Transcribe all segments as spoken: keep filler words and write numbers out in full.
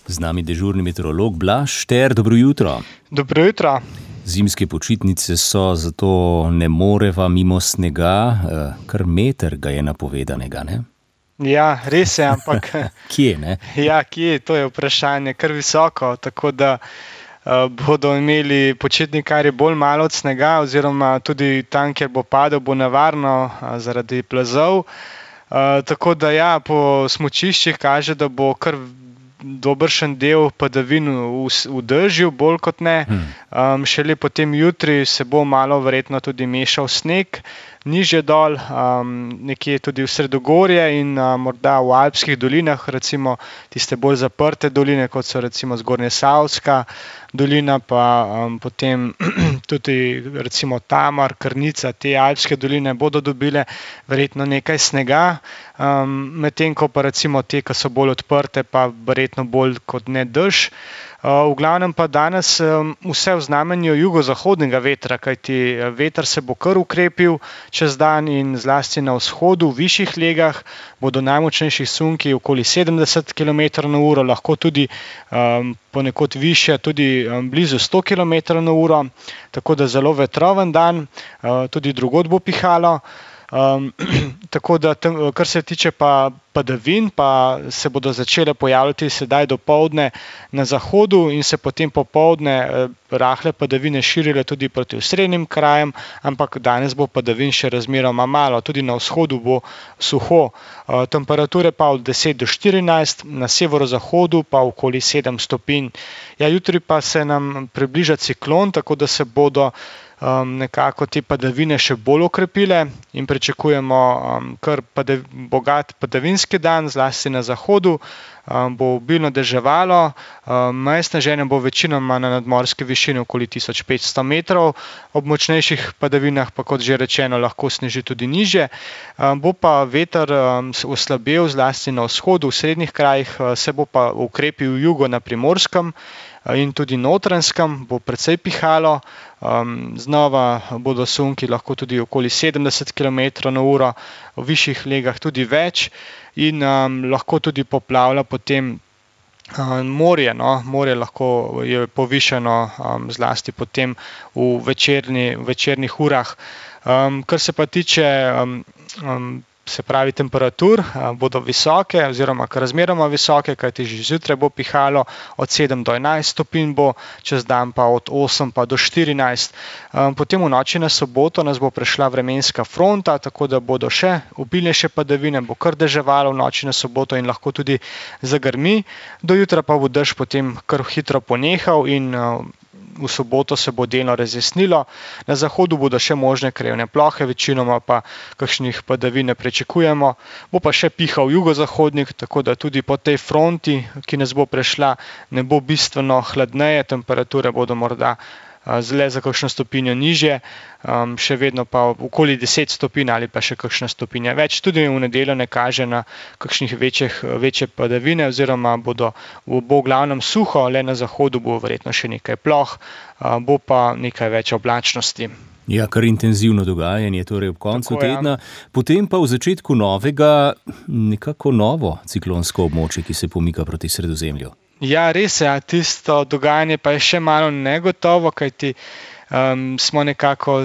Z nami dežurni meteorolog Blaž Šter, dobro jutro. Dobro jutro. Zimske počitnice so, zato ne moreva mimo snega, kar meter ga je napovedanega, ne? Ja, res je, ampak... Kje, ne? Ja, kje, to je vprašanje, kar visoko, tako da uh, bodo imeli počitnikarji bolj malo od snega, oziroma tudi tam, kjer bo padel, bo nevarno uh, zaradi plazov. Uh, tako da ja, po smučiščih kaže, da bo kar dobršen del padavin v, v dežju, bolj kot ne. Um, šele potem jutri se bo malo verjetno tudi mešal sneg, nižje dol, um, nekje tudi v sredogorje in uh, morda v alpskih dolinah, recimo tiste bolj zaprte doline, kot so recimo Zgornjesavska dolina, pa um, potem tudi recimo Tamar, Krnica, te alpske doline bodo dobile verjetno nekaj snega, um, medtem ko pa recimo te, ki so bolj odprte, pa verjetno bolj kot ne dež. Uh, v glavnem pa danes um, vse v znamenju jugozahodnega vetra, kajti veter se bo kar ukrepil čez dan in zlasti na vzhodu, v višjih legah, bodo najmočnejši sunki okoli sedemdeset kilometrov na uro, lahko tudi um, ponekod višje, tudi um, blizu sto kilometrov na uro, tako da zelo vetroven dan, uh, tudi drugod bo pihalo. Um, tako da, tem, kar se tiče pa padavin, pa se bodo začele pojavljati sedaj dopoldne na zahodu in se potem popoldne eh, rahle padavine širile tudi proti osrednjim krajem, ampak danes bo padavin še razmeroma malo, tudi na vzhodu bo suho. Uh, temperature pa od deset do štirinajst, na severozahodu pa okoli sedem stopinj. Ja, jutri pa se nam približa ciklon, tako da se bodo Um, nekako te padavine še bolj okrepile in pričakujemo um, kar padav, bogat padavinski dan, zlasti na zahodu, um, bo obilno deževalo, um, meje sneženja bo večinoma na nadmorski višini okoli tisoč petsto metrov, ob močnejših padavinah pa, kot že rečeno, lahko sneži tudi nižje. Um, bo pa veter um, oslabel zlasti na vzhodu, v srednjih krajih, uh, se bo pa ukrepil jugo na Primorskem in tudi Notranjskem, bo precej pihalo, um, znova bodo sunki lahko tudi okoli sedemdeset kilometrov na uro, v višjih legah tudi več in um, lahko tudi poplavlja potem um, morje, no, morje lahko je povišano um, zlasti potem v večerni, večernih urah. Um, kar se pa tiče um, um, se pravi temperatur, bodo visoke oziroma kar razmeroma visoke, kajti že zjutraj bo pihalo od sedem do enajst stopinj, bo čez dan pa od osem pa do štirinajst. Potem v noči na soboto nas bo prešla vremenska fronta, tako da bodo še obilnejše padavine, bo kar deževalo v noči na soboto in lahko tudi zagrmi. Do jutra pa bo dež potem kar hitro ponehal in v soboto se bo delno razjasnilo. Na zahodu bodo še možne krajevne plohe, večinoma pa kakšnih padavin ne pričakujemo. Bo pa še pihal jugozahodnik, tako da tudi po tej fronti, ki nas bo prešla, ne bo bistveno hladneje, temperature bodo morda zle za kakšno stopinjo nižje, um, še vedno pa okoli deset stopinj ali pa še kakšna stopinja več. Tudi v nedeljo ne kaže na kakšnih večjih, večje padavine oziroma bodo, bo v glavnem suho, le na zahodu bo verjetno še nekaj ploh, uh, bo pa nekaj več oblačnosti. Ja, kar intenzivno dogajanje, torej ob koncu Tako, tedna, ja. Potem pa v začetku novega, nekako novo ciklonsko območje, ki se pomika proti Sredozemlju. Ja, res je, tisto dogajanje pa je še malo negotovo, kajti um, smo nekako,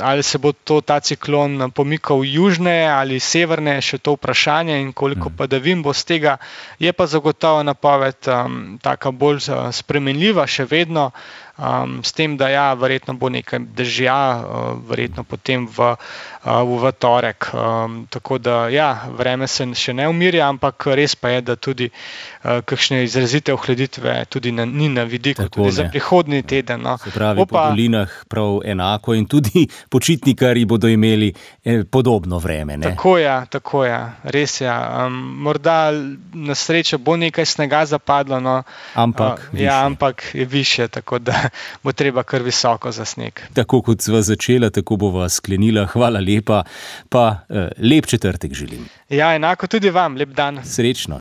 ali se bo to, ta ciklon pomikal južneje ali severne, še to vprašanje in koliko padavin bo z tega. Je pa zagotovo napoved um, taka bolj uh, spremenljiva še vedno, um, s tem, da ja, verjetno bo nekaj dežja, uh, verjetno potem v, uh, v torek. Um, tako da ja, vreme se še ne umirja, ampak res pa je, da tudi uh, kakšne izrazite ohladitve tudi na, ni na vidiku, Tako tudi ne. za prihodnji teden. No. Se pravi, Opa, po dolinah prav enako in tudi počitnikarji bodo imeli eh, podobno vreme, ne? Tako je, tako je, res je. Um, morda na srečo bo nekaj snega zapadlo, no, Ampak uh, ja, ampak je višje, tako da bo treba kar visoko za sneg. Tako kot sva začela, tako bova sklenila. Hvala lepa, pa eh, lep četrtek želim. Ja, enako tudi vam, lep dan. Srečno.